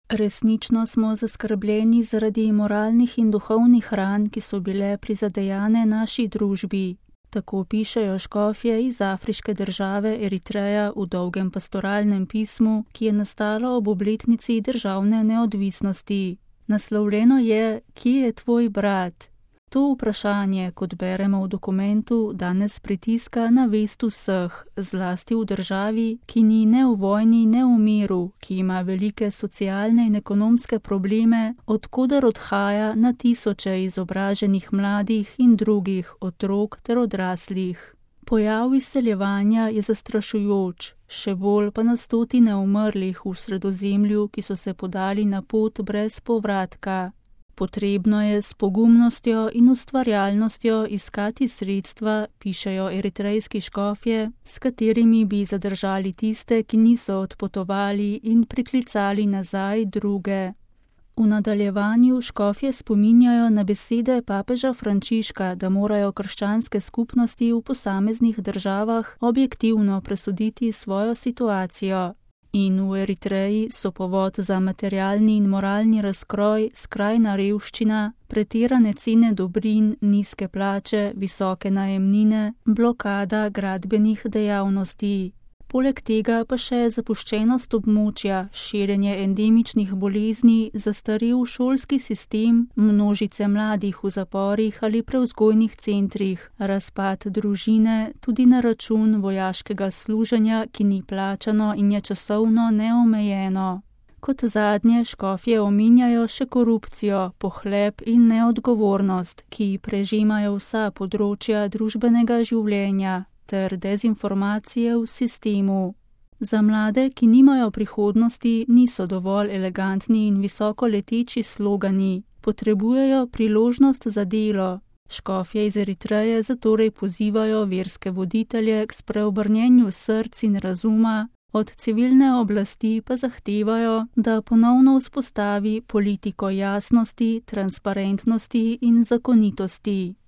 Resnično smo zaskrbljeni zaradi moralnih in duhovnih ran, ki so bile prizadejane naši družbi. Tako pišejo škofje iz afriške države Eritreja v dolgem pastoralnem pismu, ki je nastalo ob obletnici državne neodvisnosti. Naslovljeno je: Kje je tvoj brat? To vprašanje, kot beremo v dokumentu, danes pritiska na vest vseh, zlasti v državi, ki ni ne v vojni, ne v miru, ki ima velike socialne in ekonomske probleme, od koder odhaja na tisoče izobraženih mladih in drugih otrok ter odraslih. Pojav izseljevanja je zastrašujoč, še bolj pa na stotine umrlih v Sredozemlju, ki so se podali na pot brez povratka. Potrebno je s pogumnostjo in ustvarjalnostjo iskati sredstva, pišejo eritrejski škofje, s katerimi bi zadržali tiste, ki niso odpotovali, in priklicali nazaj druge. V nadaljevanju škofje spominjajo na besede papeža Frančiška, da morajo krščanske skupnosti v posameznih državah objektivno presoditi svojo situacijo. In v Eritreji so povod za materialni in moralni razkroj skrajna revščina, pretirane cene dobrin, nizke plače, visoke najemnine, blokada gradbenih dejavnosti. Poleg tega pa še zapuščenost območja, širjenje endemičnih bolezni, zastarel šolski sistem, množice mladih v zaporih ali prevzgojnih centrih, razpad družine, tudi na račun vojaškega služenja, ki ni plačano in je časovno neomejeno. Kot zadnje škofje omenjajo še korupcijo, pohlep in neodgovornost, ki prežemajo vsa področja družbenega življenja, ter dezinformacije v sistemu. Za mlade, ki nimajo prihodnosti, niso dovolj elegantni in visoko leteči slogani, potrebujejo priložnost za delo. Škofje iz Eritreje zatorej pozivajo verske voditelje k spreobrnjenju src in razuma, od civilne oblasti pa zahtevajo, da ponovno vzpostavi politiko jasnosti, transparentnosti in zakonitosti.